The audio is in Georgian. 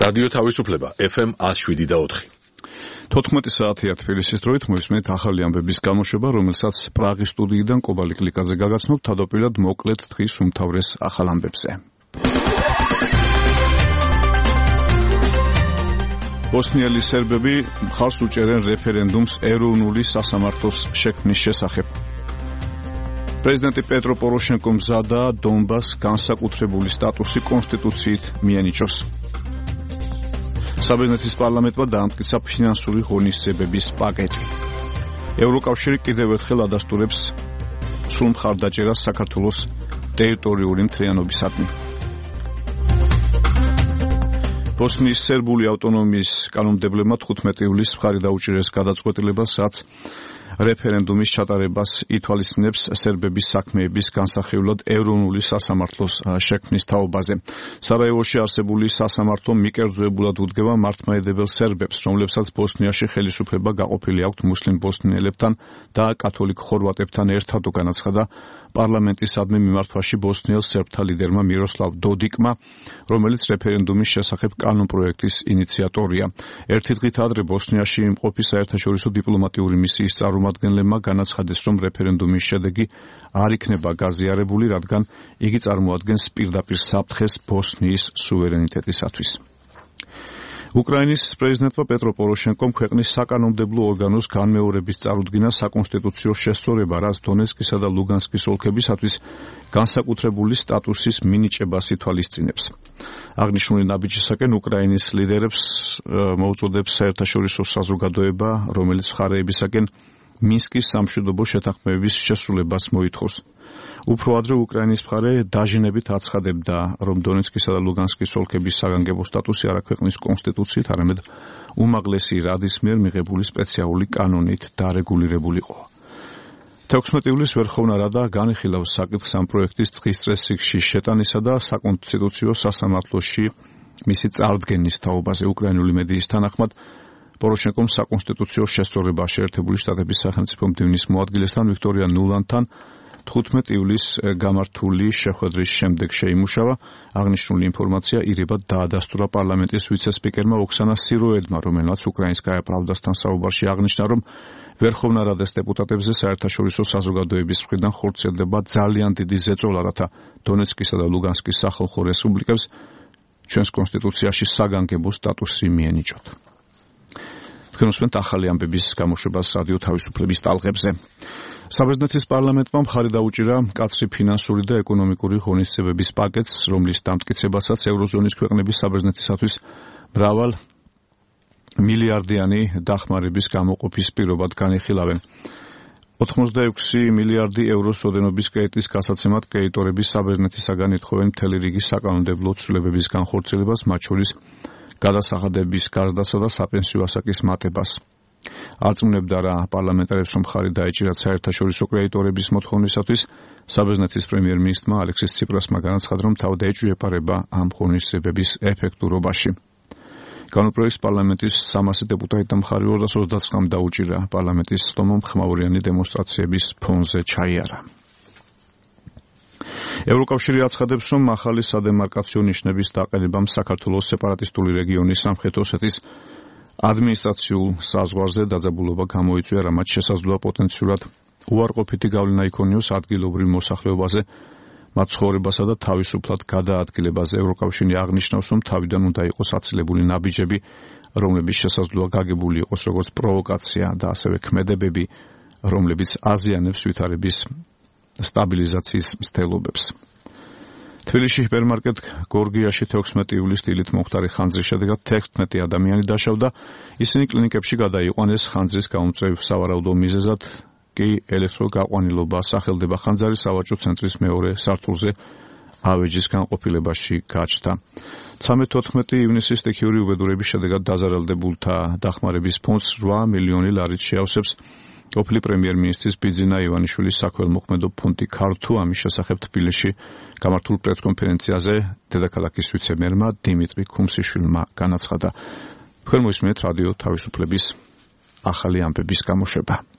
რადიო თავისუფლება FM 107.4. 14 საათია თბილისის დროით მოისმენთ ახალი ამბების გამოშვება, რომელსაც პრაღის სტუდიიდან კობალი კლიკაძე გაგაცნობთ, თავდაპირველად მოკლედ დღის უმთავრეს ახალ ამბებზე. ბოსნიელი სერბები მხარს უჭერენ რეფერენდუმს ეროვნული სასამართლოს შექმნის შესახებ. პრეზიდენტი პეტრო პოროშენკომ მზადაა დონბასს განსაკუთრებული სტატუსი კონსტიტუციით მიენიჭოს. საბერძნეთის პარლამენტმა დაამტკიცა ფინანსური ღონისძიებების პაკეტი. ევროკავშირი კიდევ ერთხელ ადასტურებს სრულ მხარდაჭერას საქართველოს ტერიტორიული მთლიანობისადმი. ბოსნიის სერბული ავტონომიის კანონმდებლებმა 15 ივლისს მხარი დაუჭირეს გადაწყვეტილებას, რაც რეფერენდუმის ჩატარებას ითვალისწინებს სერბების საქმეების განსახილველად ეროვნული სასამართლოს შექმნის თაობაზე. სარაევოში არსებული სასამართლო მიკერძოებულად უდგება მართლმადიდებელ სერბებს, რომლებსაც ბოსნიაში ხელისუფლება გაყოფილი აქვთ მუსლიმ ბოსნიელებთან და კათოლიკ ხორვატებთან ერთად, განაცხადა პარლამენტისადმი მიმართვაში ბოსნიელ სერბთა ლიდერმა მიროსლავ დოდიკმა, რომელიც რეფერენდუმის შესახებ კანონპროექტის ინიციატორია. ერთი დღით ადრე ბოსნიაში იმყოფი საერთაშორისო დიპლომატიური მისიის წარმომადგენლებმა განაცხადეს, რომ რეფერენდუმის შედეგი არ იქნება გაზიარებული, რადგან იგი წარმოადგენს პირდაპირ საფრთხეს ბოსნიის სუვერენიტეტისათვის. უკრაინის პრეზიდენტმა პეტრო პოროშენკომ ქვეყნის საკანონმდებლო ორგანოს განმეორების წარუდგინა საკონსტიტუციო შესწორება, რაც დონეცკისა და ლუგანსკის ოლქებისათვის განსაკუთრებული სტატუსის მინიჭებას ითვალისწინებს. აღნიშნული ნაბიჯისაკენ უკრაინის ლიდერებს მოუწოდებს საერთაშორისო საზოგადოება, რომელიც მხარეებისაკენ მინსკის სამშვიდობო შეთანხმებების შესრულებას მოითხოვს. უფრო ადრე უკრაინის მხარე დაჟინებით აცხადებდა, რომ დონეცკისა და ლუგანსკის ოლქების საგანგებო სტატუსი არა ქვეყნის კონსტიტუციით, არამედ უმაღლესი რადის მიერ მიღებული სპეციალური კანონით დარეგულირებულიყო. 16 ივლისს ვერხოვნა რადა განიხილავს საკითხს ამ პროექტის დღის წესრიგში შეტანისა და საკონსტიტუციო სასამართლოში მისი წარდგენის თაობაზე. უკრაინული მედიის თანახმად პოროშენკომ საკონსტიტუციო შესწორება შეერთებული შტატების სახელმწიფო მდივნის მოადგილესთან ვიქტორია ნულანთან 15 ივლისს გამართული შეხვედრის შემდეგ შეიმუშავა. აღნიშნული ინფორმაცია ირებად დაადასტურა პარლამენტის ვიცე-სპიკერმა ოქსანა სიროედმა, რომელმაც უკრაინსკაია პრავდასთან საუბარში აღნიშნა, რომ ვერხოვნა რადეს დეპუტატებზე საერთაშორისო საზოგადოების მხრიდან ხორციელდება ძალიან დიდი ზეწოლა, რათა დონეცკისა და ლუგანსკის სახალხო რესპუბლიკებს ჩვენს კონსტიტუციაში საგანგებო სტატუსი მიენიჭოთ. თქვენ უსმენთ ახალი ამბების გამოშვებას რადიო თავისუფლების ტალღებზე. საბერძნეთის პარლამენტმა მხარი დაუჭირა მკაცრი ფინანსური და ეკონომიკური ღონისძიებების პაკეტს, რომლის დამტკიცებასაც ევროზონის ქვეყნების საბერძნეთისათვის მრავალ მილიარდიანი დახმარების გამოყოფის პირობად განიხილავენ. 86 მილიარდი ევროს ოდენობის კრედიტის გასაცემად კრედიტორები საბერძნეთისაგან ეთხოვენ მთელი რიგი საკანონმდებლო ცვლილებების განხორციელებას, მათ შორის გადასახადების გარდასა და საპენსიო ასაკის მატებას. არწმუნებდა რა პარლამენტარებს, რომ მხარი დაეჭირათ საერთაშორისო კრედიტორების მოთხოვნისათვის. საბერძნეთის პრემიერ-მინისტრმა ალექსის ციპრასმა განაცხადა, რომ თავად ეჭვიეპარება ამ ღონისძიებების ეფექტურობაში. კანონპროექტს პარლამენტის 300 დეპუტატი მხარი 229-მ დაუჭირა. პარლამენტის სტომომ ხმაურიანი დემონსტრაციების ფონზე ჩაიარა. ევროკავშირი აცხადებს, რომ ახალი სადემარკაციო ნიშნების დაყენებამ საქართველოს სეპარატისტული რეგიონის სამხრეთ ოსეთის ადმინისტრაციულ საზღვარზე დაძაბულობა გამოიწვია, რამაც შესაძლოა პოტენციურად უარყოფითი გავლენა იქონიოს ადგილობრივ მოსახლეობაზე, მათ ცხოვრებასა და თავისუფლად გადაადგილებაზე. ევროკავშირი აღნიშნავს, რომ თავიდან უნდა იყოს აცილებული ნაბიჯები, რომლებიც შესაძლოა გაგებული იყოს როგორც პროვოკაცია და ასევე ქმედებები, რომლებიც აზიანებს ვითარების სტაბილიზაციის მცდელობებს. თბილისში ჰიპერმარკეტ გორგიაში 16 ივლისს დილით მომხდარი ხანძრის შედეგად 16 ადამიანი დაშავდა. ისინი კლინიკებში გადაიყვანეს ხანძრის გამომწვევ სავარაუდო მიზეზად კი ელექტროგაყვანილობა სახელდება. ხანძარი სავაჭრო ცენტრის მეორე სართულზე ავეჯის განყოფილებაში გაჩნდა. 13-14 ივნისის სტიქიური უბედურების შედეგად დაზარალდებულთა დახმარების ფონდს 8 მილიონი ლარით შეავსებს. ყოფილი პრემიერ-მინისტრის ბიძინა ივანიშვილის საქველმოქმედო ფონდი ქართუ ამის შესახებ თბილისში გამართულ პრესკონფერენციაზე დედაქალაქის ვიცე-მერმა დიმიტრი ქუმსიშვილმა განაცხადა. თქვენ მოისმენთ რადიო თავისუფლების ახალი ამბების გამოშვება.